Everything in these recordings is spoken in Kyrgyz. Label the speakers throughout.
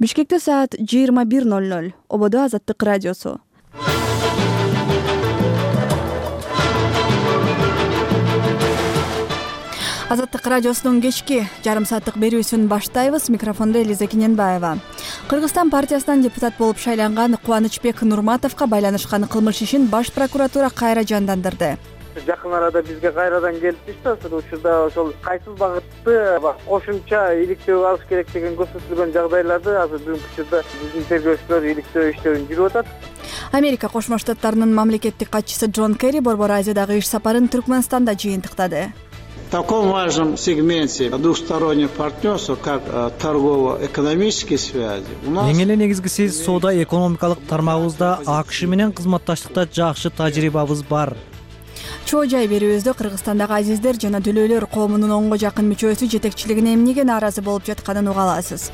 Speaker 1: Бишкекте саат 21:00. Ободо Азаттык радиосу. Азаттык радиосунун кечки жарым сааттык берүүсүн баштайбыз. Микрофондо Элиза Кененбаева. Кыргызстан партиясынан депутат болуп шайланган Кубанычбек Нурматовго байланышкан кылмыш ишин баш прокуратура кайра жандандырды.
Speaker 2: Жакын арада бизге кайрадан келип түштү. Учурда ошол кайсыл багытты кошумча иликтөө алыш керек деген көрсөтүлгөн жагдайларды азыр бүгүнкү учурда биздин тергөөчүлөр иликтөө иштөрүн жүрүп атат.
Speaker 1: Америка Кошмо Штаттарынын мамлекеттик катчысы Джон Керри Борбор Азиядагы иш сапарын Түркмөнстанда жыйынтыктады.
Speaker 3: В таком важном сегменте двустороннего партнерства, как торгово-экономические связи, у нас...
Speaker 4: Эң эле негизгиси соода-экономикалык тармагыбызда АКШ менен кызматташтыкта жакшы тажрыйбабыз бар.
Speaker 1: Чоо жай берүүбүздө Кыргызстандагы азиздер жана дүлөөлөр коомунун 10го жакын мүчөсү жетекчилигине эмнеге нааразы болуп жатканын уга аласыз.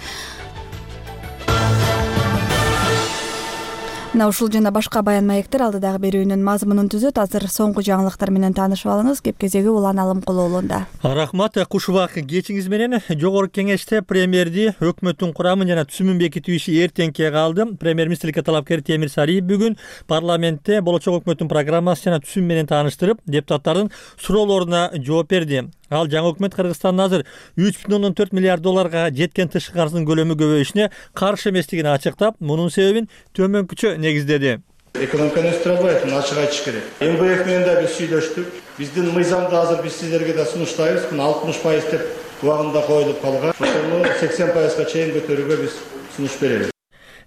Speaker 1: Мына ушул жана башка баян маектер алдыдагы берүүнүн мазмунун түзөт. Азыр соңку жаңылыктар менен таанышып алыңыз. Кеп кезеги Улан Алымкулуулунда.
Speaker 5: Рахмат. Куш убакыт кечиңиз менен жогорку кеңеште премьерди өкмөттүн курамын жана түзүмүн бекитүү иши эртеңке калды. Премьер-министрликке талапкер Темир Сариев бүгүн парламентте болочок өкмөттүн программасы жана түзүмү менен тааныштырып, депутаттардын суроолоруна жооп берди. Ал жаңы өкмөт Кыргызстандын азыр 3,4 миллиард долларга жеткен тышкы карыздын көлөмү көбөйүшүнө каршы эместигин ачыктап, мунун себебин төмөнкүчө негиздеди.
Speaker 6: Экономиканы өстүрөбөйт, муну ачык айтыш керек. МВФ менен да биз сүйлөштүк. Биздин мыйзамды азыр биз сиздерге да сунуштайбыз. Мына 60% деп убагында коюлуп калган. Ошону 80%га чейин көтөрүүгө биз сунуш беребиз.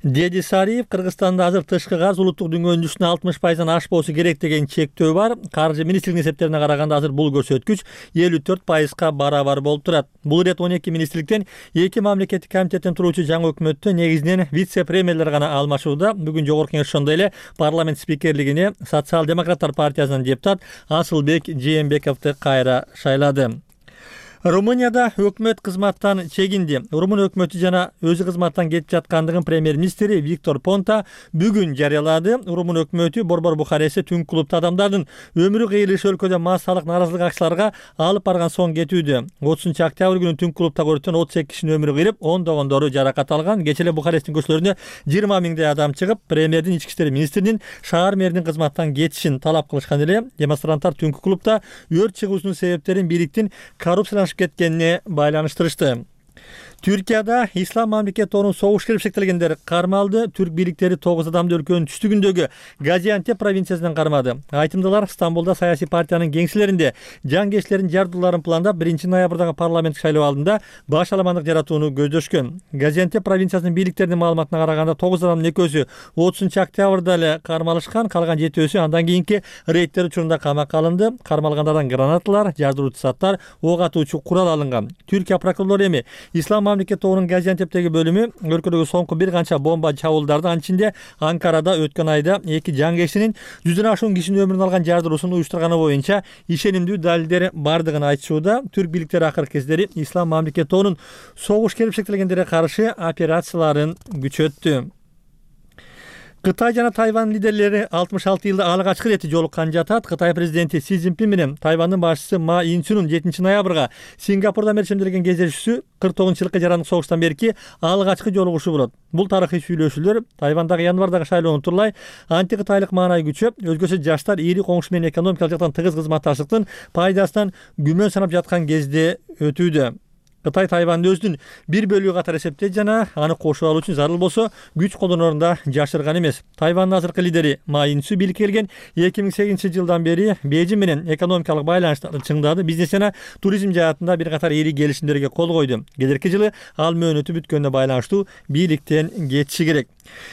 Speaker 5: Деди Сариев, Кыргызстанда азыр тышкы карыз улуттук дүнгөнүн үстүнө 60%дан ашпоосу керек деген чектөө бар. Каржы министрлигинин эсептерине караганда азыр бул көрсөткүч 54%га барабар болуп турат. Бул ирет 12 министрликтен 2 мамлекеттик комитеттен туруучу жаңы өкмөттө негизинен вице-премьерлер гана алмашууда. Бүгүн жогорку кеңеш ошондой эле парламент спикерлигине Социал-демократтар партиясынын депутат Асылбек Жээнбековду кайра шайлады. Румынияда өкмөт кызматтан чегинди. Румын өкмөтү жана өзү кызматтан кетип жаткандыгын премьер-министри Виктор Понта бүгүн жарыялады. Румын өкмөтү Борбор Бухарестте түнкү клубда адамдардын өмүрү кыйылышы өлкөдө массалык нааразылык акцияларга алып барган соң кетүүдө. 30-октябрь күнү түнкү клубда өрттөн 38 кишинин өмүрү кыйылып, ондогондору жаракат алган. Кечээ эле Бухаресттин көчөлөрүнө 20 миңдей адам чыгып, премьердин ички иштер министринин шаар мэринин кызматтан кетишин талап кылышкан эле. Демонстранттар түнкү клубда өрт чыгуусунун себептерин бийликтин коррупцияланып кеткенине байланыштырышты. Түркияда Ислам мамлекет тобунун согуш келишектелгендер кармалды. Түрк бийликтери 9 адамды өлкөнүн түштүгүндөгү Газиантеп провинциясынан кармады. Айтымдылар Стамбулда саясий партиянын кеңселеринде жангечлердин жардууларын пландап 1 ноябрдагы парламенттик шайлоо алдында баш аламандык жаратууну көздөшкөн. Газиантеп провинциясынын бийликтеринин маалыматына караганда 9 адамдын экөөсү 30-октябрда эле кармалышкан, калган 7-өсү андан кийинки рейдтер учурунда камакка алынды. Кармалгандардан гранаталар, жардыруучу заттар, ок атуучу курал алынган. Түркия прокурорлору эми Ислам мамлекет тобунун Газиантептеги бөлүмү өлкөдөгү соңку бир канча бомба чабуулдарды, анын ичинде Анкарада өткөн айда 2 жангечлинин 100дөн ашуун кишинин өмүрүн алган жардыруусун уюштурганы боюнча ишенимдүү далилдер бардыгын айтышууда. Түрк бийликтери акыркы кездери Ислам мамлекет тобунун согуш келишектелгендерге каршы операцияларын күчөттү. Кытай жана Тайвань лидерлери 66 жылда алгачкы рети жолуккан жатат. Кытай президенти Си Цзиньпин менен Тайвандын башчысы Ма Ин-чунун 7 ноябрга Сингапурда мерчемделген кездешүүсү 49-жылкы жарандык согуштан берки алгачкы жолугушуу болот. Бул тарыхый сүйлөшүүлөр Тайвандагы январдагы шайлоону турлай антикытайлык маанай күчөп, өзгөчө жаштар ири коңшу менен экономикалык жактан тыгыз кызматташтыктын пайдасынан күмөн санап жаткан кезде өтүүдө. Кытай Тайванды өзүнүн бир бөлүгү катары эсептейт жана аны кошуп алуу үчүн зарыл болсо күч колдонорун да жашырган эмес. Тайвандын азыркы лидери Ма Ин-чун бийликке келген 2008-жылдан бери Бейжиң менен экономикалык байланыштарды чыңдады. Бизнес жана туризм жаатында бир катар ири келишимдерге кол койду. Келерки жылы ал мөөнөтү бүткөнүнө байланыштуу бийликтен кетиши керек.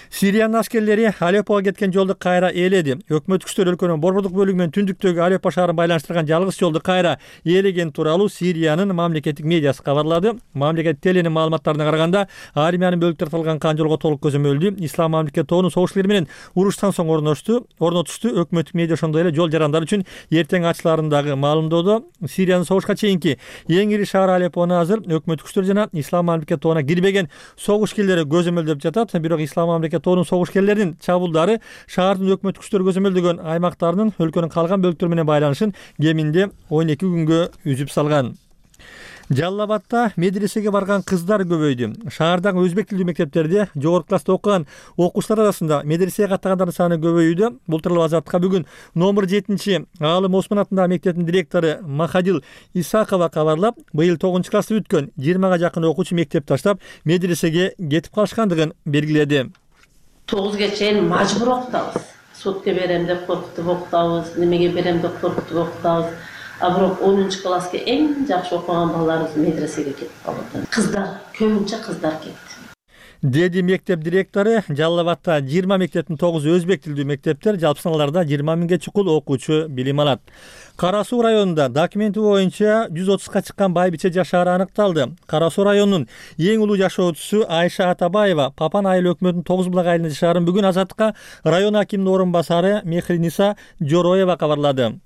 Speaker 5: Сириянын аскерлери Алеппого кеткен жолду кайра ээледи. Өкмөт күчтөр өлкөнүн борбордук бөлүгү менен түндүктөгү Алеппо шаарын байланыштырган жалгыз жолду кайра ээлеген тууралуу Сириянын мамлекеттик медиасы кабарлады. Мамлекет теленин маалыматтарына караганда, армиянын бөлүктөр тартылган канжолго толук көзөмөлдүү. Ислам мамлекет тобунун согуштуулары менен уруштан соң орнотушту. Өкмөттүк медиа ошондой эле жол жарандар үчүн эртең ачыларын дагы маалымдоодо. Сириянын согушка чейинки эң ири шаар Алеппону азыр өкмөт күчтөр жана Ислам мамлекет тобуна кирбеген согушкерлери көзөмөлдөп жатат. Бирок Ислам мамлекет тобунун согушкерлеринин чабуулдары шаардын өкмөт күчтөр көзөмөлдөгөн аймактарынын өлкөнүн калган бөлүктөрү менен байланышын кеминде 12 күнгө үзүп салган. Жалал Абадта медресеге барган кыздар көбөйдү. Шаардагы өзбек тилдүү мектептерде жогорку класста окуган окуучулар арасында медресеге каттагандардын саны көбөйүүдө. Бул тууралуу Азаттыкка бүгүн номер 7 Аалым Осмон атындагы мектептин директору Махадил Исакова кабарлап, быйыл 9 классты бүткөн 20га жакын окуучу мектеп таштап медресеге кетип калышкандыгын белгиледи.
Speaker 7: 9га чейин мажбур окутабыз. Сутка берем деп коркутуп окутабыз, немеге берем деп коркутуп окутабыз. А бирок 10 класска эң жакшы окуган балдарыбыз медресеге кетип калды. Кыздар, көбүнчө кыздар кетти.
Speaker 5: Деди мектеп директору. Жалал Абадта 20 мектептин 9 өзбек тилдүү мектептер, жалпы саналарда 20 миңге чукул окуучу билим алат. Кара Суу районунда документи боюнча 130га чыккан байбиче жашаары аныкталды. Кара Суу районунун эң улуу жашоочусу Айша Атабаева Папан айыл өкмөтүнүн 9 булак айылында жашаарын бүгүн Азаттыкка район акиминин орун басары Мехриниса Жороева кабарлады.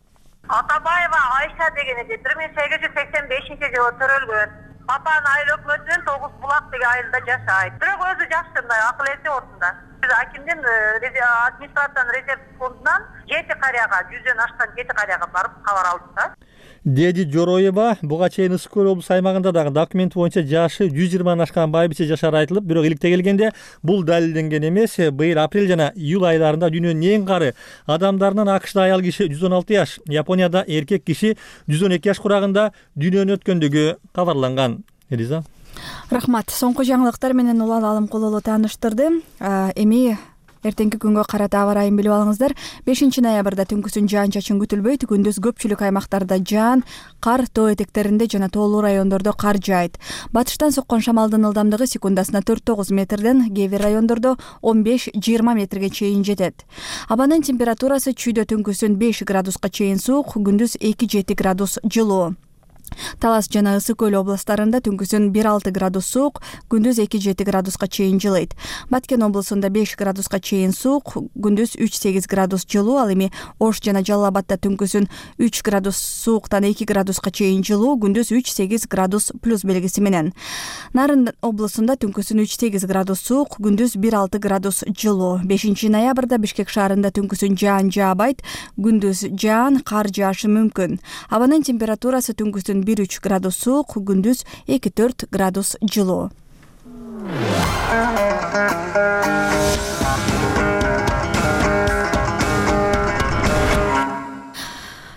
Speaker 8: Атабаева Айша деген 1885-жылы төрөлгөн. Папан айыл өкмөтүнүн 9 булак деген айылда жашайт. Бирок өзү жакшы мындай акыл эси ордунда. Акимдин администрациянын резерв фондунан 7 карияга, 100дөн ашкан 7 карияга барып кабар алдым да. Деди
Speaker 5: Жороева буга чейин Ысык көл облус аймагында дагы документ боюнча жашы 120 ашкан байбиче жашаары айтылып, бирок иликте келгенде бул далилденген эмес. Быйыл апрель жана июль айларында дүйнөнүн эң кары адамдарынын АКШда аял киши 116 жаш, Японияда эркек киши 112 жаш курагында дүйнөнү өткөндүгү кабарланган. Элиза.
Speaker 1: Рахмат. Соңку жаңылыктар менен Улан Алымкулуулу тааныштырды. Эми эртеңки күнгө карата аба ырайын билип алыңыздар. 5 ноябрда түнкүсүн жаан-чачын күтүлбөйт. Күндүз көпчүлүк аймактарда жаан, кар, тоо этектеринде жана тоолуу райондордо кар жаайт. Батыштан соккон шамалдын ылдамдыгы секундасына 4-9 метрден, кээ бир райондордо 15-20 метрге чейин жетет. Абанын температурасы чүйдө түнкүсүн 5 градуска чейин суук, күндүз 2-7 градус жылуу. Талас жана Ысык көл областарында түнкүсүн 1-6 градус суук, күндүз 2-7 градуска чейин жылыйт. Баткен облусунда 5 градуска чейин суук, күндүз 3-8 градус жылуу. Ал эми Ош жана Жалал Абадта түнкүсүн 3 градус сууктан 2 градуска чейин жылуу, күндүз 3-8 градус плюс белгиси менен. Нарын облусунда түнкүсүн 3-8 градус суук, күндүз 1-6 градус жылуу. 5 ноябрда Бишкек шаарында түнкүсүн жаан жаабайт, күндүз жаан, кар жаашы мүмкүн. Абанын температурасы түнкүсүн 1-3 градус суук, күндүз 2-4 градус жылуу.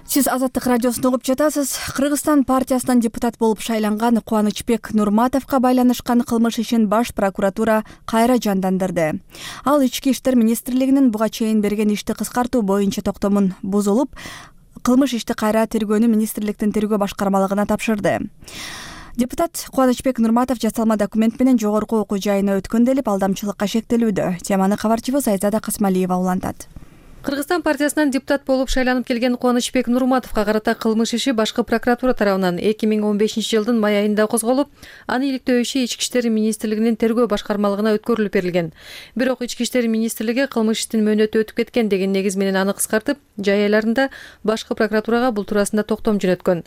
Speaker 1: Сиз Азаттык радиосун угуп жатасыз. Кыргызстан партиясынан депутат болуп шайланган Кубанычбек Нурматовго байланышкан кылмыш ишин баш прокуратура кайра жандандырды. Ал Ички иштер министрлигинин буга чейин берген ишти кыскартуу боюнча токтомун бузулуп, кылмыш ишти кайра тергөөнү министрликтин тергөө башкармалыгына тапшырды. Депутат Кубанычбек Нурматов жасалма документ менен жогорку окуу жайына өткөн делип алдамчылыкка шектелүүдө. Теманы кабарчыбыз Айзада Касмалиева улантат.
Speaker 9: Кыргызстан партиясынан депутат болуп шайланып келген Кубанычбек Нурматовго карата кылмыш иши башкы прокуратура тарабынан 2015-жылдын май айында козголуп, аны иликтөө иши Ички иштер министрлигинин тергөө башкармалыгына өткөрүлүп берилген. Бирок Ички иштер министрлиги кылмыш иштин мөөнөтү өтүп кеткен деген негиз менен аны кыскартып, жай айларында башкы прокуратурага бул туурасында токтом жөнөткөн.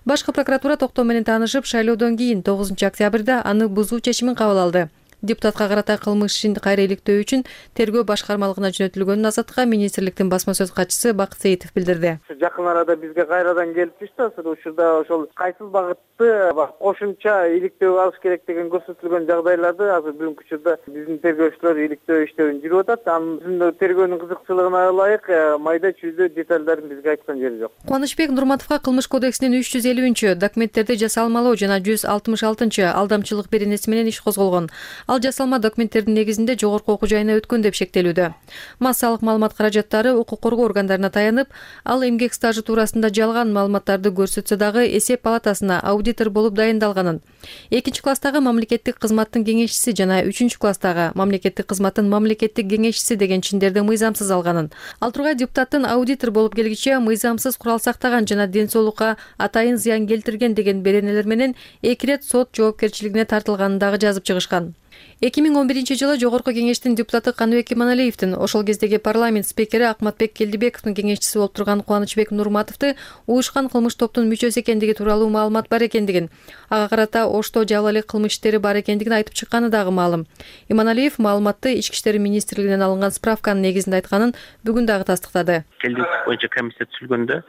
Speaker 9: Башкы прокуратура токтом менен таанышып, шайлоодон кийин 9 октябрда аны бузуу чечимин кабыл алды. Депутатка карата кылмыш ишин кайра иликтөө үчүн тергөө башкармалыгына жөнөтүлгөнүн Азаттыкка министрликтин басма сөз катчысы Бакыт Сейитов билдирди.
Speaker 2: Жакын арада бизге кайрадан келиптиш да, ушурда ошол кайсыл багытты кошумча иликтөө алыш керек деген көрсөтүлгөн жагдайларды азыр бүгүнкү учурда биздин тергөөчүлөр иликтөө иштерин жүрүп атат. Анын тергөөнүн кызыкчылыгына ылайык майда чүйдө детальдарын бизге айткан жери жок.
Speaker 9: Кубанычбек Нурматовго кылмыш кодексинин 350-чү документтерди жасалмалоо жана 166-чы алдамчылык беренеси менен иш козголгон. Ал жасалма документтердин негизинде жогорку окуу жайына өткөн деп шектелүүдө. Массалык маалымат каражаттары укук коргоо органдарына таянып, ал эмгек стажы туурасында жалган маалыматтарды көрсөтсө дагы эсеп палатасына аудитор болуп дайындалганын. 2 класстагы мамлекеттик кызматтын кеңешчиси жана 3 класстагы мамлекеттик кызматтын мамлекеттик кеңешчиси деген чиндерди мыйзамсыз алганын. Ал тургай депутаттын аудитор болуп келгиче мыйзамсыз курал сактаган жана ден соолукка атайын зыян келтирген деген беренелер менен 2 ирет сот жоопкерчилигине тартылганын дагы жазып чыгышкан. 2011-жылы Жогорку Кеңештин депутаты Каныбек Иманалиевдин ошол кездеги парламент спикери Акматбек Келдибековдун кеңешчиси болуп турган Кубанычбек Нурматовду уюшкан кылмыш топтун мүчөсү экендиги тууралуу маалымат бар экендигин, ага карата Ошто жалал эле кылмыш иштери бар экендигин айтып чыкканы дагы маалым. Иманалиев маалыматты Ички иштер министрлигинен алынган справканын негизинде айтканын бүгүн дагы тастыктады.
Speaker 10: Келдик боюнча комиссия түзүлгөндө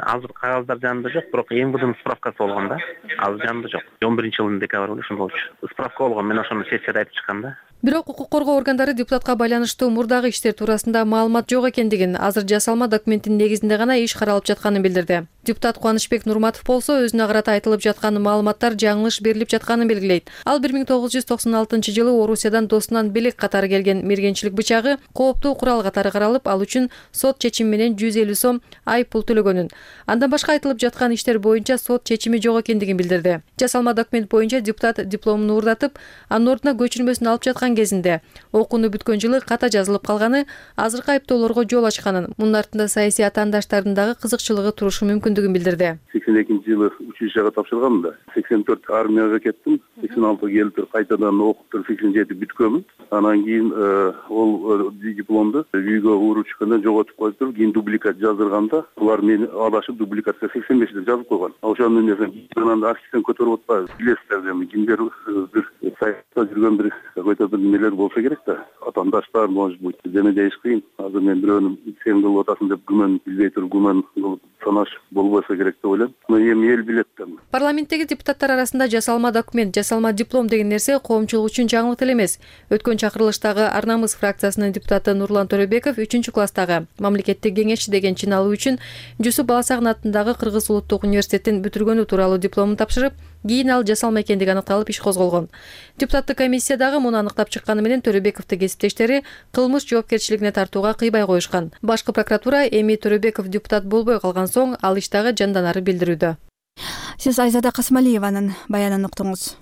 Speaker 10: азыр кагаздар жанында жок, бирок МВДнын справкасы болгон да. Азыр жанында жок. 11-жылдын декабрында ошондой болчу. Справка болгон, мен ошону сессияда айтып чыккам да.
Speaker 9: Бирок укук коргоо органдары депутатка байланыштуу мурдагы иштер туурасында маалымат жок экендигин, азыр жасалма документтин негизинде гана иш каралып жатканын билдирди. Депутат Кубанычбек Нурматов болсо өзүнө карата айтылып жаткан маалыматтар жаңылыш берилип жатканын белгилейт. Ал 1996-жылы Орусиядан досунан белек катары келген мергенчилик бычагы кооптуу курал катары каралып, ал үчүн сот чечими менен 150 сом айып пул төлөгөнүн. Андан башка айтылып жаткан иштер боюнча сот чечими жок экендигин билдирди. Жасалма документ боюнча депутат дипломун уурдатып, анын ордуна көчүрмөсүн алып жаткан кезинде окууну бүткөн жылы ката жазылып калганы азыркы айыптоолорго жол ачканын, мунун артында саясий атаандаштардын дагы кызыкчылыгы турушу мүмкүндүгүн билдирди.
Speaker 11: 82-жылы училищага тапшырганмын да. 84 армияга кеттим. 86 келип кайтадан окуп 87 бүткөнмүн. Анан кийин ол дипломду үйгө уруп чыкканда жоготуп коюптур. Кийин дубликат жаздырганда булар мени адашып дубликатка 85 деп жазып койгон. Ошондон анан архивден көтөрүп атпайбы. Билесиздер эми кимдер бир саякта жүргөн бир какой-то бир немелер болсо керек да. Атаандаштар, может быть, дене дейиш кыйын. Азыр мен бирөөнү сен кылып атасың деп күмөн билбей туруп күмөн кылып санашып болбосо керек деп ойлойм. Эми эл билет да.
Speaker 9: Парламенттеги депутаттар арасында жасалма документ, жасалма диплом деген нерсе коомчулук үчүн жаңылык эле эмес. Өткөн чакырылыштагы Ар намыс фракциясынын депутаты Нурлан Төрөбеков 3-класстагы мамлекеттик кеңешчи деген чын алуу үчүн Жусуп Баласагын атындагы Кыргыз улуттук университетин бүтүргөнү тууралуу дипломун тапшырып, кийин ал жасалма экендиги аныкталып иш козголгон. Депутаттык комиссиядагы муну аныктап чыкканы менен Төрөбековду кесиптештери кылмыш жоопкерчилигине тартууга кыйбай коюшкан. Башкы прокуратура эми Төрөбеков депутат болбой калган соң ал иш дагы жанданары билдирүүдө.
Speaker 1: Сиз Айзада Касмалиеванын баянын уктуңуз.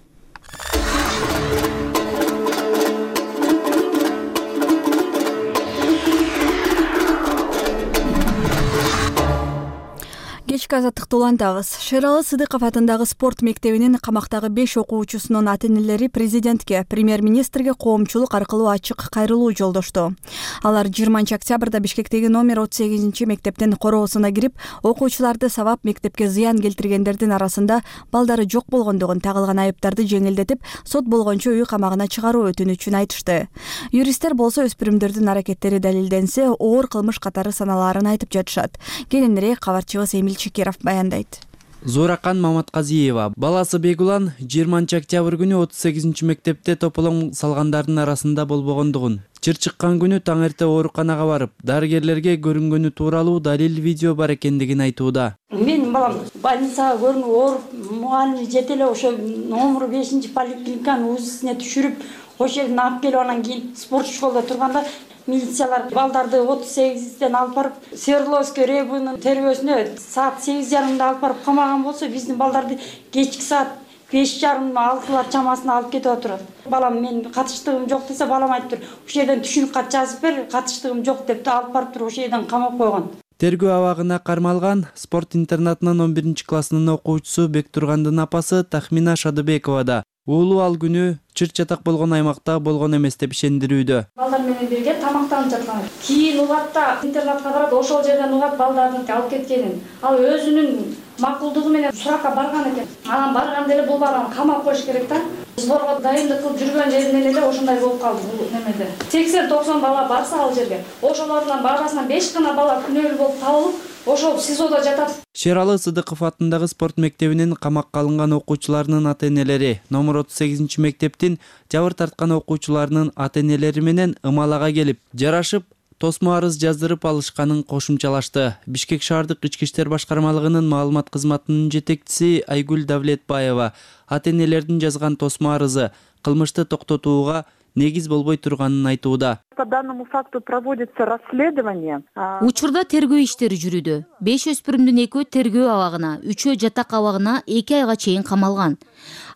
Speaker 1: Кечки азаттыкты улантабыз. Шералы Сыдыков атындагы спорт мектебинин камактагы 5 окуучусунун ата-энелери президентке, премьер-министрге коомчулук аркылуу ачык кайрылуу жолдошту. Алар 20 октябрда Бишкектеги номер 38 мектептин короосуна кирип, окуучуларды сабап мектепке зыян келтиргендердин арасында балдары жок болгондугун, тагылган айыптарды жеңилдетип, сот болгончо үй камагына чыгаруу өтүнүчүн айтышты. Юристтер болсо өспүрүмдөрдүн аракеттери далилденсе, оор кылмыш катары саналаарын айтып жатышат. Кененирээк кабарчыбыз Эмил Чекеров баяндайт.
Speaker 12: Зоракан Маматказиева баласы Бегулан 20 октябрь күнү 38 мектепте тополоң салгандардын арасында болбогондугун, чыр чыккан күнү таң эрте ооруканага барып, дарыгерлерге көрүнгөнү тууралуу далил видео бар экендигин айтууда.
Speaker 13: Менин балам больницага көрүнүп ооруп, мугалими жете эле ошо номер 5 поликлиниканын УЗИсине түшүрүп, ошол жерден алып келип анан кийин спорт школда турганда милициялар балдарды 38-ден алып барып Свердловский районунун тербөөсүнө саат 8:30 алып барып камаган болсо, биздин балдарды кечки саат 5:30-6 чамасына алып кетип отурат. Балам мен катыштыгым жок десе, балам айтыптыр, ошол жерден түшүнүк кат жазып бер, катыштыгым жок деп алып барып туруп ошол жерден камап койгон.
Speaker 12: Тергөө абагына кармалган спорт интернатынын 11-классынын окуучусу Бектургандын апасы Тахмина Шадыбекова да уулу ал күнү чыр-чатак болгон аймакта болгон эмес деп ишендирүүдө.
Speaker 14: Балдар менен бирге тамактанып жаткан. Кийин угатта интернатка барат, ошол жерден угат балдарын алып кеткенин. Ал өзүнүн макулдугу менен суракка барган экен. Анан барганда эле бул баланы камап коюш керек да. Сборго дайындык кылып жүргөн жеринен эле ошондой болуп калды бул немеде. 80-90 бала барса ал жерге, ошолордун барасынан 5 гана бала күнөөлүү болуп табылып, ошол СИЗОдо жатат.
Speaker 12: Шералы Сыдыков атындагы спорт мектебинин камакка алынган окуучуларынын ата-энелери, номер 38 мектептин жабыр тарткан окуучуларынын ата-энелери менен ымалага келип, жарашып, тосмо арыз жаздырып алышканын кошумчалашты. Бишкек шаардык ички иштер башкармалыгынын маалымат кызматынын жетекчиси Айгүл Давлетбаева ата-энелердин жазган тосмо арызы кылмышты токтотууга негиз болбой турганын айтууда.
Speaker 15: По данному факту проводится расследование.
Speaker 16: Учурда тергөө иштери жүрүүдө. 5 өспүрүмдүн 2-өө тергөө абагына, 3-өө жатак абагына 2 айга чейин камалган.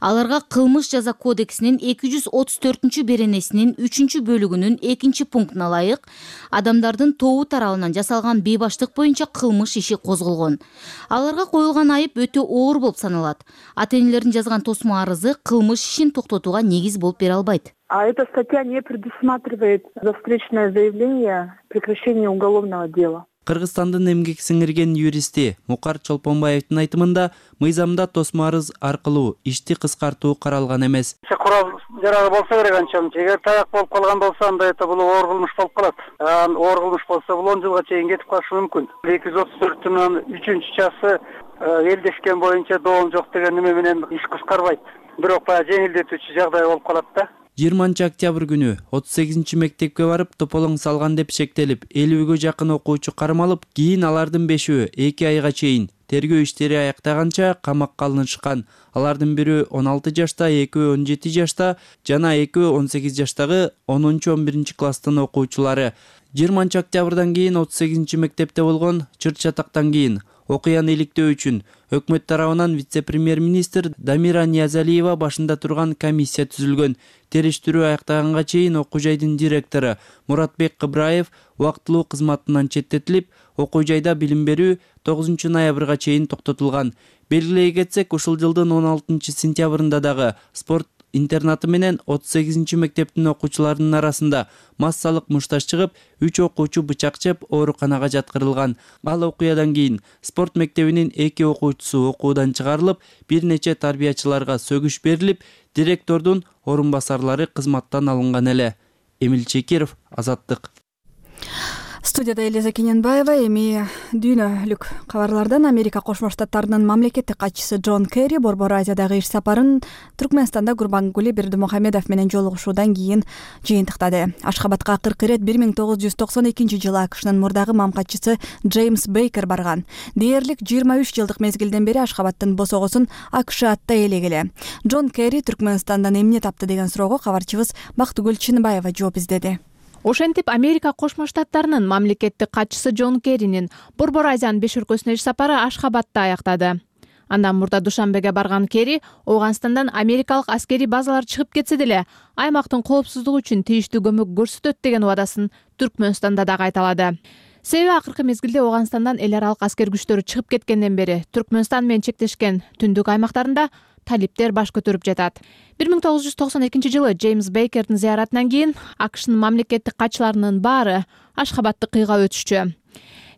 Speaker 16: Аларга кылмыш жаза кодексинин 234 беренесинин 3-бөлүгүнүн 2-пунктуна ылайык адамдардын тобу тарабынан жасалган бейбаштык боюнча кылмыш иши козголгон. Аларга коюлган айып өтө оор болуп саналат. Ата-энелердин жазган тосмо арызы кылмыш ишин токтотууга негиз болуп бере албайт.
Speaker 15: А эта статья не предусматривает за встречное заявление прекращение уголовного дела.
Speaker 12: Кыргызстандын эмгек сиңирген юристи Мукар Чолпонбаевдин айтымында мыйзамда тосмо арыз аркылуу ишти кыскартуу каралган эмес.
Speaker 2: Курал жарагы болсо керек анчамча. Эгер таяк болуп калган болсо анда это бул оор кылмыш болуп калат. Оор кылмыш болсо бул 10 жылга чейин кетип калышы мүмкүн. 234-түн 3-часы элдешкен боюнча доом жок деген неме менен иш кыскарбайт. Бирок баягы жеңилдетүүчү жагдай болуп калат да.
Speaker 12: 20 октябрь күнү 38-мектепке барып тополоң салган деп шектелип 50-гө жакын окуучу кармалып, кийин алардын 5-өө 2 айга чейин тергөө иштери аяктаганча камакка алынышкан. Алардын бири 16 жашта, 2-өө 17 жашта жана 2-өө 18 жаштагы 10-11 класстын окуучулары. 20 октябрдан кийин 38-мектепте болгон чыр-чатактан кийин окуяны иликтөө үчүн өкмөт тарабынан вице-премьер-министр Дамира Ниязалиева башында турган комиссия түзүлгөн. Териштирүү аяктаганга чейин окуу жайдын директору Муратбек Кыбраев убактылуу кызматынан четтетилип, окуу жайда билим берүү 9 ноябрга чейин токтотулган. Белгилей кетсек, ушул жылдын 16 сентябрында дагы спорт интернаты менен 38-мектептин окуучуларынын арасында массалык мушташ чыгып, 3 окуучу бычак жеп ооруканага жаткырылган. Ал окуядан кийин спорт мектебинин 2 окуучусу окуудан чыгарылып, бир нече тарбиячыларга сөгүш берилип, директордун орун басарлары кызматтан алынган эле. Эмил Чекиров, Азаттык.
Speaker 1: Студияда Элиза Кененбаева. Эми дүйнөлүк кабарлардан Америка Кошмо Штаттарынын мамлекеттик катчысы Джон Керри Борбор Азиядагы иш сапарын Түркмөнстанда Гурбангулы Бердимухамедов менен жолугушуудан кийин жыйынтыктады. Ашхабадка 40 ирет 1992-жылы АКШнын мурдагы мамкатчысы Джеймс Бейкер барган. Дээрлик 23 жылдык мезгилден бери Ашхабадтын босогосун АКШ атта ээлегеле. Джон Керри Түркмөнстандан эмне тапты деген суроого кабарчыбыз Бактыгүл Чынбаева жооп издеди.
Speaker 17: Ошентип Америка Кошмо Штаттарынын мамлекеттик катчысы Джон Керринин Борбор Азиянын 5 өлкөсүнө иш сапары Ашхабадта аяктады. Андан мурда Душанбеге барган Керри Ооганстандан америкалык аскерий базалар чыгып кетсе деле, аймактын коопсуздугу үчүн тийиштүү көмөк көрсөтөт деген убадасын Түркмөнстанда дагы айталады. Себеби акыркы мезгилде Ооганстандан эл аралык аскер күчтөрү чыгып кеткенден бери Түркмөнстан менен чектешкен түндүк аймактарында талиптер баш көтөрүп жатат. 1992-жылы Джеймс Бейкердин зыяратынан кийин АКШнын мамлекеттик катчыларынын баары Ашхабадты кыйга өтүшчү.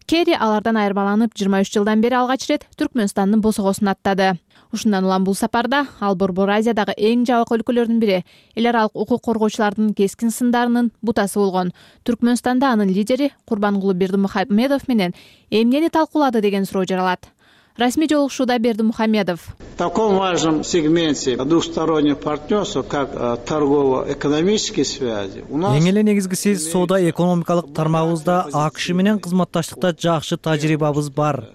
Speaker 17: Керри алардан айырмаланып 23 жылдан бери алгач рет Түркмөнстандын босогосун аттады. Ушундан улам бул сапарда ал Борбор Азиядагы эң жабык өлкөлөрдүн бири, эл аралык укук коргоочулардын кескин сындарынын бутасы болгон Түркмөнстанда анын лидери Курбангулы Бердимухамедов менен эмнени талкуулады деген суроо жаралат. Расмий жолугушууда Бердимухамедов:
Speaker 3: В таком важном сегменте двустороннего партнерства, как торгово-экономические связи, у нас...
Speaker 4: Эң эле негизгиси соода экономикалык тармагыбызда АКШ менен кызматташтыкта жакшы тажрыйбабыз бар.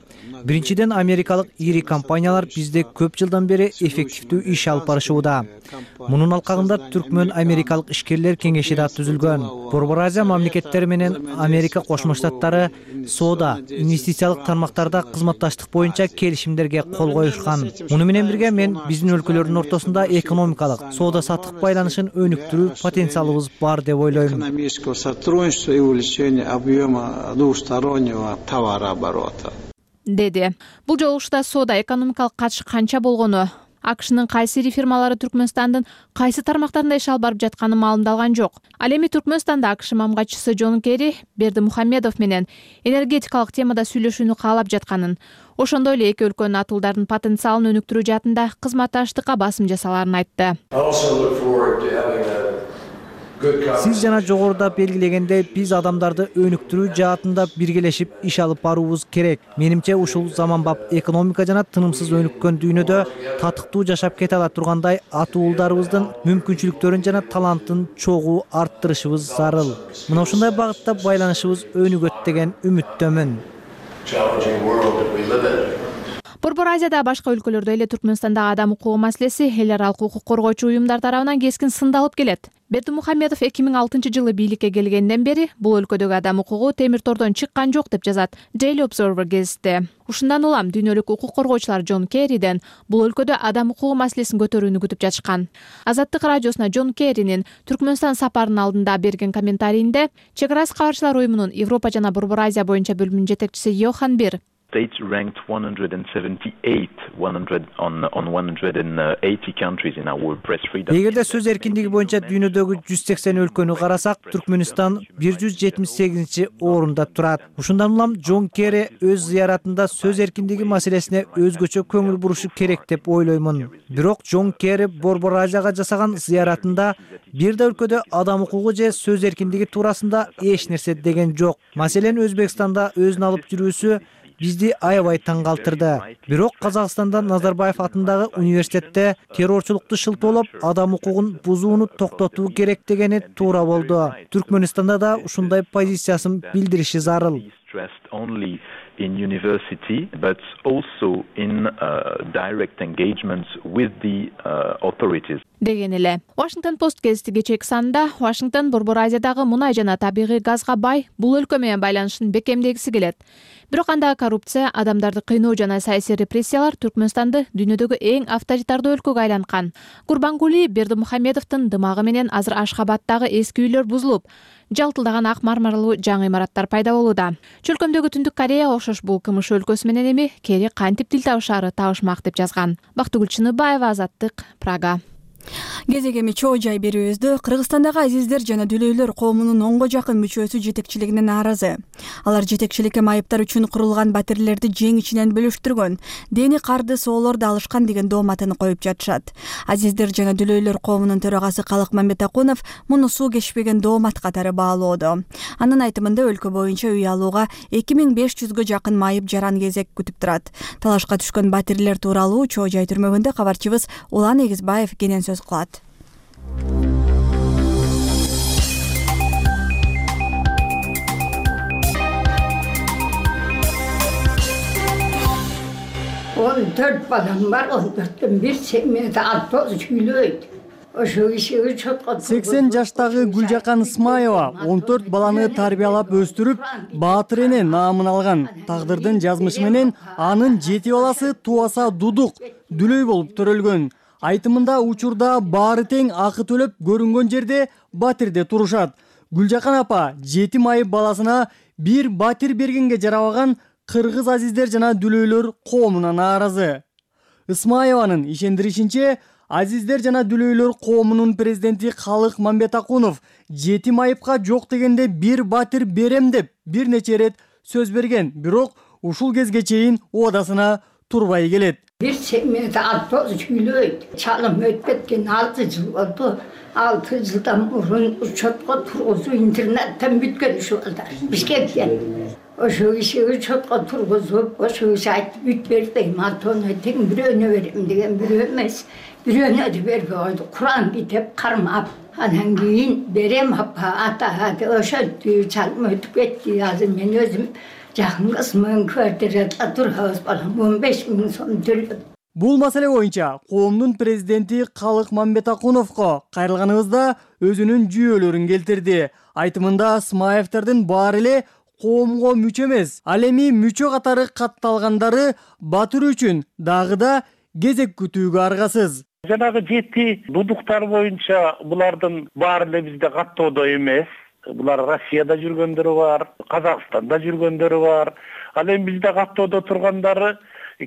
Speaker 4: Биринчиден, америкалык ири компаниялар бизде көп жылдан бери эффективдүү иш алып барышууда. Мунун алкагында Түркмөн америкалык ишкерлер кеңеши да түзүлгөн. Борбор Азия мамлекеттери менен Америка Кошмо Штаттары соода, инвестициялык тармактарда кызматташтык боюнча келишимдерге кол коюшкан. Муну менен бирге мен биздин өлкөлөрдүн ортосунда экономикалык, соода саттык байланышын өнүктүрүү потенциалыбыз бар деп ойлойм.
Speaker 3: Экономического сотрудничества и увеличения объема двустороннего товарооборота.
Speaker 17: Деди. Бул жолугушууда соода экономикалык катыш канча болгону, АКШнын кайсы ири фирмалары Түркмөнстандын кайсы тармактарында иш алып барып жатканы маалымдалган жок. Ал эми Түркмөнстанда АКШ мамгатчысы Джон Керри Бердимухамедов менен энергетикалык темада сүйлөшүүнү каалап жатканын, ошондой эле эки өлкөнүн атуулдардын потенциалын өнүктүрүү жаатында кызматташтыкка басым жасаларын айтты.
Speaker 4: Сиз жана жогоруда белгилегендей, биз адамдарды өнүктүрүү жаатында биргелешип иш алып баруубуз керек. Менимче ушул заманбап экономика жана тынымсыз өнүккөн дүйнөдө татыктуу жашап кете ала тургандай атуулдарыбыздын мүмкүнчүлүктөрүн жана талантын чогуу арттырышыбыз зарыл. Мына ушундай багытта байланышыбыз өнүгөт деген үмүттөмүн.
Speaker 17: Борбор Азияда башка өлкөлөрдө эле Түркмөнстандагы адам укугу маселеси эл аралык укук коргоочу уюмдар тарабынан кескин сындалып келет. Бердимухамедов 2006-жылы бийликке келгенден бери бул өлкөдөгү адам укугу темир тордон чыккан жок деп жазат Daily Observer гезити. Ушундан улам дүйнөлүк укук коргоочулар Джон Керриден бул өлкөдө адам укугу маселесин көтөрүүнү күтүп жатышкан. Азаттык радиосуна Джон Керринин Түркмөнстан сапарынын алдында берген комментарийинде Чек арасы кабарчылар уюмунун Европа жана Борбор Азия боюнча бөлүмүнүн жетекчиси Йохан Бир
Speaker 18: States ranked 178 on 180 countries in our press freedom.
Speaker 4: Эгерде сөз эркиндиги боюнча дүйнөдөгү 180 өлкөнү карасак, Түркмөнстан 178 орунда турат. Ушундан улам Джон Керри өз зыяратында сөз эркиндиги маселесине өзгөчө көңүл бурушу керек деп ойлоймун. Бирок Джон Керри Борбор Азияга жасаган зыяратында бир да өлкөдө адам укугу же сөз эркиндиги туурасында эч нерсе деген жок. Маселен, Өзбекстанда өзүн алып жүрүүсү бизди аябай таң калтырды. Бирок Казакстанда Назарбаев атындагы университетте террорчулукту шылтоолоп, адам укугун бузууну токтотуу керек дегени туура болду. Түркмөнстанда да ушундай позициясын билдириши зарыл.
Speaker 18: Only in university, but also in direct engagements with the authorities.
Speaker 17: Деген эле. Washington Post гезити кечээки санында Вашингтон Борбор Азиядагы мунай жана табигый газга бай бул өлкө менен байланышын бекемдегиси келет. Бирок андагы коррупция, адамдарды кыйноо жана саясий репрессиялар Түркмөнстанды дүйнөдөгү эң авторитардуу өлкөгө айланткан. Курбангули Бердимухамедовдун дымагы менен азыр Ашхабадтагы эски үйлөр бузулуп, жалтылдаган ак мармарлуу жаңы имараттар пайда болууда. Чөлкөмдөгү Түндүк Кореяга окшош бул КМШ өлкөсү менен эми Керри кантип тил табышаары табышмак деп жазган. Бактыгүл Чыныбаева, Азаттык, Прага.
Speaker 1: Кезек эми чоо жай берүүбүздө Кыргызстандагы азиздер жана дүлөйлөр коомунун 10го жакын мүчөсү жетекчилигине нааразы. Алар жетекчиликке майыптар үчүн курулган батирлерди жең ичинен бөлүштүргөн, дени карды соолорду алышкан деген дооматын коюп жатышат. Азиздер жана дүлөйлөр коомунун төрагасы Калык Мамбетакунов муну суу кечпеген доомат катары баалоодо. Анын айтымында өлкө боюнча үй алууга 2500гө жакын майып жаран кезек күтүп турат. Талашка түшкөн батирлер тууралуу чоо жай түрмөгүндө кабарчыбыз Улан Эгизбаев кенен сөз кылат.
Speaker 19: Он 4 балам бар, 14-төн бир семьяда автобус үйлөйт. Ошо кишиге чоткот.
Speaker 20: 80 жаштагы Гүлжакан Исмаева 14 баланы тарбиялап өстүрүп, баатыр эне наамын алган. Тагдырдын жазмышы менен анын 7 баласы Туаса Дудук дүлөй болуп төрөлгөн. Айтымында учурда баары тең акы төлөп көрүнгөн жерде батирде турушат. Гүлжакан апа 7 майып баласына бир батир бергенге жарабаган кыргыз азиздер жана дүлөйлөр коомуна нааразы. Исмаеванын ишендиришинче, азиздер жана дүлөйлөр коомунун президенти Калык Мамбетакунов 7 майыпка жок дегенде бир батир берем деп бир нече ирет сөз берген. Бирок ушул кезге чейин оодасына турбай келет.
Speaker 19: Бир семьяда автобус үйлөйт. Чалым өтүп кеткен 6 жыл болду. 6 жылдан мурун учетко тургузуу интернеттен бүткөн ушул балдар. Бишкектен. Ошо кишиге учетко тургузуп, ошо киши айтып бүт берди. Матону тең бирөөнө берем деген бирөө эмес. Бирөөнө да бербей койду. Куран битеп кармап. Анан кийин берем апа, ата, ошентип чалым өтүп кетти. Азыр мен өзүм жакын кызымдын квартирада турабыз, балам 15 000 сом төлөп.
Speaker 20: Бул маселе боюнча коомдун президенти Калык Мамбетакуновго кайрылганыбызда өзүнүн жүйөлөрүн келтирди. Айтымында Исмаевтердин баары эле коомго мүчө эмес, ал эми мүчө катары катталгандары батыр үчүн дагы да кезек күтүүгө аргасыз.
Speaker 21: Жанагы 7 дудуктар боюнча булардын баары эле бизде каттоодо эмес. Булар Россияда жүргөндөрү бар, Казакстанда жүргөндөрү бар. Ал эми бизде каттоодо тургандары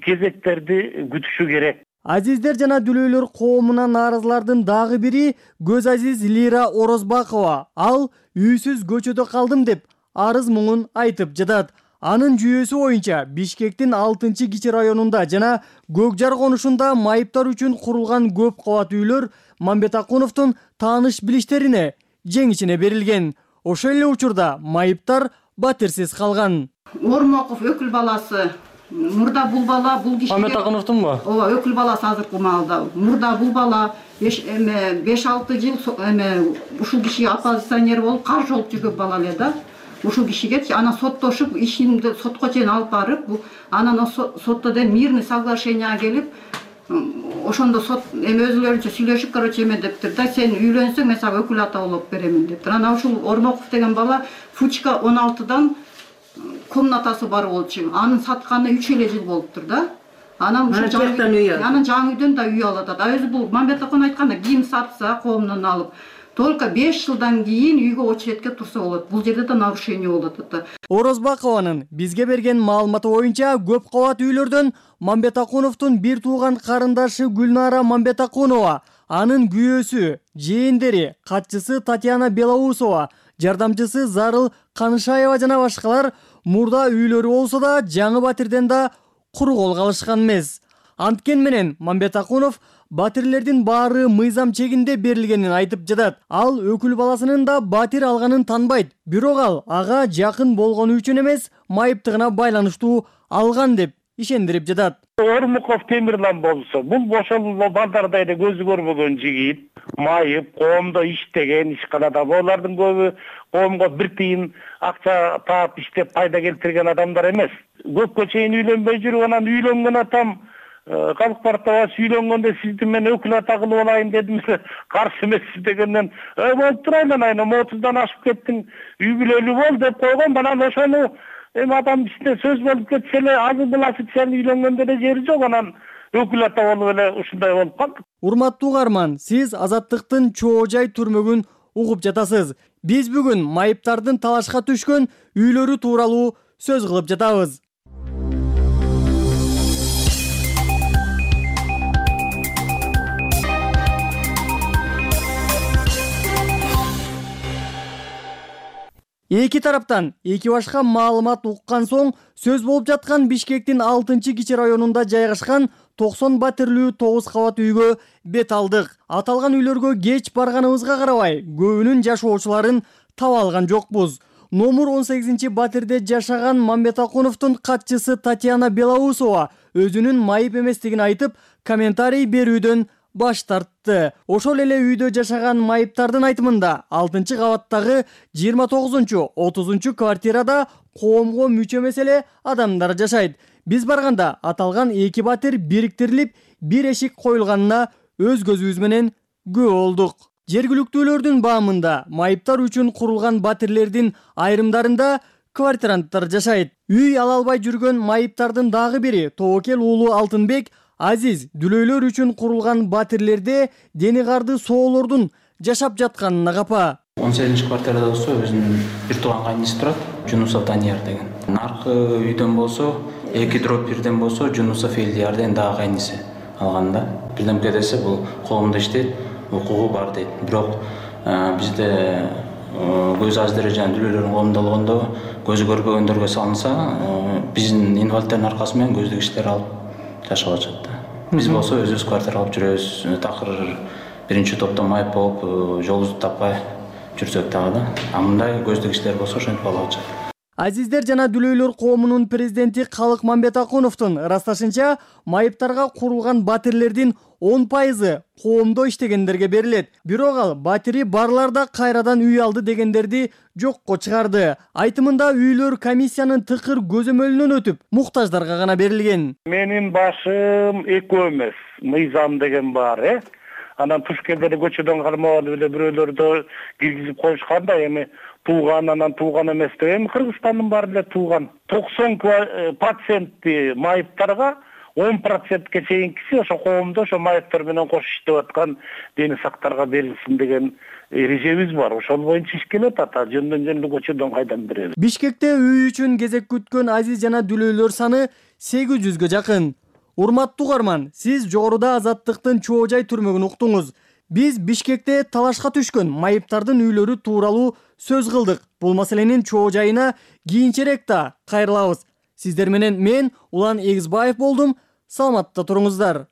Speaker 21: кезектерди күтүшү керек.
Speaker 20: Азиздер жана дүлөйлөр коомуна нааразылардын дагы бири Көз Азиз Лира Орозбакова. Ал үйсүз көчөдө калдым деп арыз муңун айтып жатат. Анын жүйөсү боюнча Бишкектин 6-кичи районунда жана Көкжар конушунда майыптар үчүн курулган көп кабат үйлөр Мамбетакуновдун тааныш билиштерине жең ичине берилген. Ошол эле учурда майыптар батирсиз калган.
Speaker 22: Ормоков өкүл баласы. Мурда бул бала бул кишиге
Speaker 20: Мамбетакуновдунбу?
Speaker 22: Ооба, өкүл баласы азыркы маалда. Мурда бул бала 5-6 жыл ушул кишиге оппозиционер болуп каршы болуп жүргөн бала эле да. Ушул кишиге анан соттошуп, ишинди сотко чейин алып барып, анан сотто да мирный соглашениеге келип, ошондо сот өзүлөрүнчө сүйлөшүп, дептир да, сен үйлөнсөң мен сага өкүл ата болуп беремин дептир. Анан ушул Ормоков деген бала Фучка 16дан комнатасы бар болчу. Анын сатканы 3 эле жыл болуптур да. Анан ушул жаңы үйдөн да үй алып атат. Өзү бул Мамбетакун айтканда кийим сатса коомдон алып, только 5 жылдан кийин үйгө очередке турса болот. Бул жерде да нарушение болот ата.
Speaker 20: Орозбакованын бизге берген маалыматы боюнча көп кабат үйлөрдөн Мамбетакуновдун бир тууган карындашы Гүлнара Мамбетакунова, анын күйөөсү, жээндери, катчысы Татьяна Белоусова, жардамчысы Зарыл Канышаева жана башкалар мурда үйлөрү болсо да жаңы батирден да куру кол калышкан эмес. Анткени менен Мамбетакунов батирлердин баары мыйзам чегинде берилгенин айтып жатат. Ал өкүл баласынын да батир алганын танбайт. Бирок ал ага жакын болгону үчүн эмес, майыптыгына байланыштуу алган деп ишендирип жатат.
Speaker 21: Ормуков Темирлан болсо, бул ошол балдардай эле көзү көрбөгөн жигит, майып, коомдо иштеген, ишканада. Булардын көбү коомго бир тыйын акча таап иштеп пайда келтирген адамдар эмес. Көпкө чейин үйлөнбөй жүрүп, анан үйлөнгөн атам Калк партиясы үйлөнгөндө сизди мен өкүл ата кылып алайын дедим, каршы эмессиз дегенден, болуп турайлы, айна 30дан ашып кеттиң, үй бүлөлүү бол деп койгон. Анан ошону адам ичинде сөз болуп кетсе эле, азы буласы сен үйлөнгөндө эле жери жок, анан өкүл ата болуп эле ушундай болуп калды.
Speaker 20: Урматтуу угарман, сиз Азаттыктын чоо жай түрмөгүн угуп жатасыз. Биз бүгүн майыптардын талашка түшкөн үйлөрү тууралуу сөз кылып жатабыз. Эки тараптан эки башка маалымат уккан соң сөз болуп жаткан Бишкектин 6-кичи районунда жайгашкан 90 батирлүү 9 кабат үйгө бет алдык. Аталган үйлөргө кеч барганыбызга карабай, көбүнүн жашоочуларын таба алган жокпуз. Номер 18 батирде жашаган Мамбетакуновдун катчысы Татьяна Белоусова өзүнүн майып эместигин айтып, комментарий берүүдөн баш тартты. Ошол эле үйдө жашаган майыптардын айтымында 6-кабаттагы 29-30 квартирада коомго мүчө эмес эле адамдар жашайт. Биз барганда аталган эки батир бириктирилип, бир эшик коюлганына өз көзүбүз менен күбө болдук. Жергиликтүүлөрдүн баамында майыптар үчүн курулган батирлердин айрымдарында квартиранттар жашайт. Үй ала албай жүргөн майыптардын дагы бири Тоокел уулу Алтынбек Азиз дүлөйлөр үчүн курулган батирлерде дени карды соолордун жашап жатканына капа.
Speaker 6: 18-квартирада болсо өзүнүн бир тууган кайниси турат, Жунусов Данияр деген. Наркы үйдөн болсо, 2/1 болсо Жунусов Элдияр деген дагы кайниси алган да. Бирдемке десе бул коомдо иштейт, укугу бар дейт. Бирок бизде көз аздыры жана дүлөйлөрдүн колунда болгондо көзү көрбөгөндөргө салынса, биздин инвалидтердин аркасы менен көздүк иштер алып жашап атышат да. Биз болсо өзүбүз квартира алып жүрөбүз. Такыр биринчи топто майып болуп, жолубузду таппай жүрсөк дагы да. Мындай көздүк иштер болсо ошентип алып атышат.
Speaker 20: Азиздер жана дүлөйлөр коомунун президенти Калык Мамбетакуновдун ырасташынча, майыптарга курулган батирлердин 10% коомдо иштегендерге берилет. Бирок ал батири барларда кайрадан үй алды дегендерди жокко чыгарды. Айтымында үйлөр комиссиянын тыкыр көзөмөлүнөн өтүп, муктаждарга гана берилген.
Speaker 21: Менин башым экөө эмес, мыйзам деген бар, Анан Тушкелдеде көчөдөн кармап алып эле бирөөлөрдү киргизип коюшканда, эми тууган анан тууган эмес деп, эми Кыргызстандын баары эле тууган. 90% майыптарга 10%ке чейинкиси ошо коомдо ошо майыптар менен кош иштеп аткан дени сактарга берилсин деген эрежебиз бар. Ошол боюнча иш келет ата, жөндөн көчөдөн кайдан беребиз.
Speaker 20: Бишкекте үй үчүн кезек күткөн азиз жана дүлөйлөр саны 800га жакын. Урматтуу угарман, сиз жогоруда Азаттыктын чоо жай түрмөгүн уктуңуз. Биз Бишкекте талашка түшкөн майыптардын үйлөрү тууралуу сөз кылдык. Бул маселенин чоо жайына кийинчерээк да кайрылабыз. Сиздер менен мен Улан Эгизбаев болдум. Саламатта туруңуздар.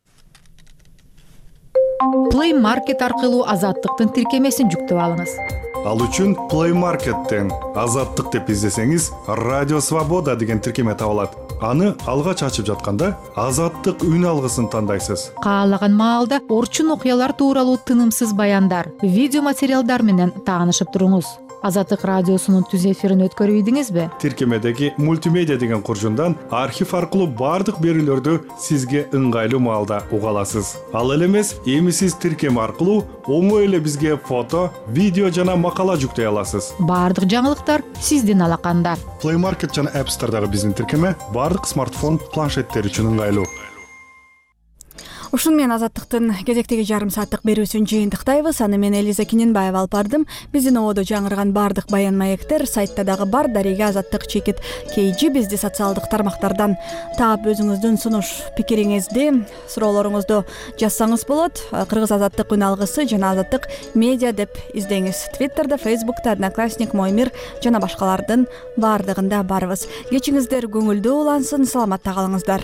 Speaker 7: Play Market аркылуу Азаттыктын тиркемесин жүктөп алыңыз.
Speaker 23: Ал үчүн Play Market'тен Азаттык деп издесеңиз, Радио Свобода деген тиркеме табылат. Аны алгач ачып жатканда Азаттык үн алгысын тандайсыз.
Speaker 7: Каалаган маалда орчун окуялар тууралуу тынымсыз баяндар, видео материалдар менен таанышып туруңуз. Азаттык радиосунун түз эфирин өткөрүп ийдиңизби?
Speaker 23: Тиркемедеги мультимедиа деген куржундан архив аркылуу бардык берүүлөрдү сизге ыңгайлуу маалда уга аласыз. Ал эле эмес, эми сиз тиркеме аркылуу оңой эле бизге фото, видео жана макала жүктөй аласыз.
Speaker 7: Бардык жаңылыктар сиздин алаканда.
Speaker 23: Play Market жана App Store'дагы биздин тиркеме бардык смартфон, планшеттер үчүн ыңгайлуу.
Speaker 1: Ушун менен Азаттыктын кезектеги жарым сааттык берүүсүн жыйынтыктайбыз. Аны мен Элиза Киненбаева алып бардым. Биздин ободо жаңырган бардык баян маектер сайтта дагы бар. Дарига Азаттык чекит KG бизди социалдык тармактардан таап өзүңүздүн сунуш пикириңизди, суроолоруңузду жазсаңыз болот. Кыргыз Азаттык үн алгысы жана Азаттык медиа деп издеңиз. Твиттерде, Фейсбукта, Одноклассник, Мой мир жана башкалардын бардыгында барбыз. Кечиңиздер көңүлдүү улансын, саламатта калыңыздар.